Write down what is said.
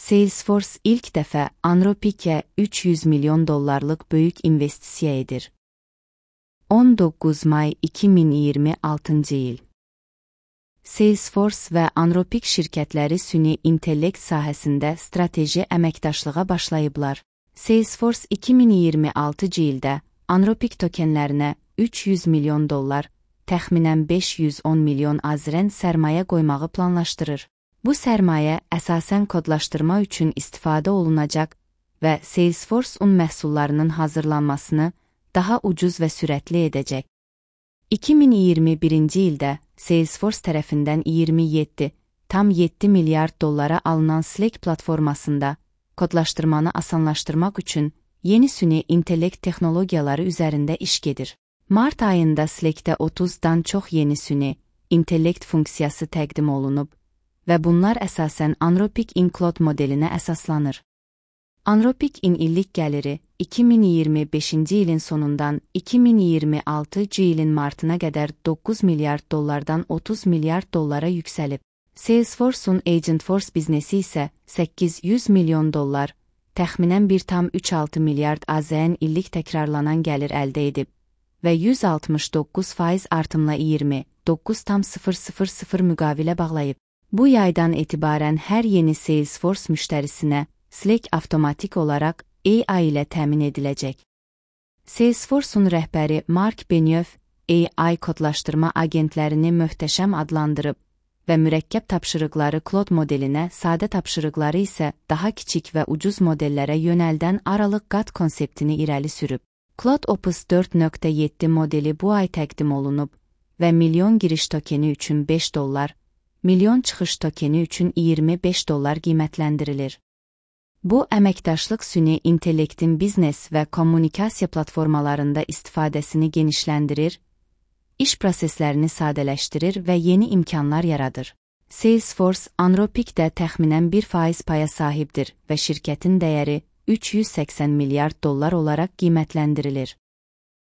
Salesforce ilk dəfə Anthropic'e $300 milyon böyük investisiya edir. 19 may 2026 il. Salesforce və Anthropic şirkətləri süni intellekt sahəsində strateji əməkdaşlığa başlayıblar. Salesforce 2026 ildə Anthropic tokenlərinə $300 milyon, təxminən 510 milyon AZRN sərmayə qoymağı planlaşdırır. Bu sərmayə əsasən kodlaşdırma üçün istifadə olunacaq və Salesforce-un məhsullarının hazırlanmasını daha ucuz və sürətli edəcək. 2021-ci ildə Salesforce tərəfindən 27,7 milyard dollara alınan Slack platformasında kodlaşdırmanı asanlaşdırmaq üçün yeni süni intellekt texnologiyaları üzərində iş gedir. Mart ayında Slack'də 30-dan çox yeni süni intellekt funksiyası təqdim olunub və bunlar əsasən Anthropic Include modelinə əsaslanır. Anthropic-in illik gəliri 2025-ci ilin sonundan 2026-cı ilin martına qədər 9 milyard dollardan 30 milyard dollara yüksəlib. Salesforce-un Agentforce biznesi isə $800 milyon, təxminən 1,36 milyard AZN illik təkrarlanan gəlir əldə edib və 169% artımla 29,000 müqavilə bağlayıb. Bu yaydan etibarən hər yeni Salesforce müştərisinə Slack avtomatik olaraq AI ilə təmin ediləcək. Salesforce-un rəhbəri Mark Benioff AI kodlaşdırma agentlərini möhtəşəm adlandırıb və mürəkkəb tapşırıqları Claude modelinə, sadə tapşırıqları isə daha kiçik və ucuz modellərə yönəldən aralıq qat konseptini irəli sürüb. Claude Opus 4.7 modeli bu ay təqdim olunub və milyon giriş tokeni üçün $5, milyon çıxış tokeni üçün $25 qiymətləndirilir. Bu, əməkdaşlıq süni intellektin biznes və kommunikasiya platformalarında istifadəsini genişləndirir, iş proseslərini sadələşdirir və yeni imkanlar yaradır. Salesforce, Anthropic'də təxminən 1% paya sahibdir və şirkətin dəyəri $380 milyard olaraq qiymətləndirilir.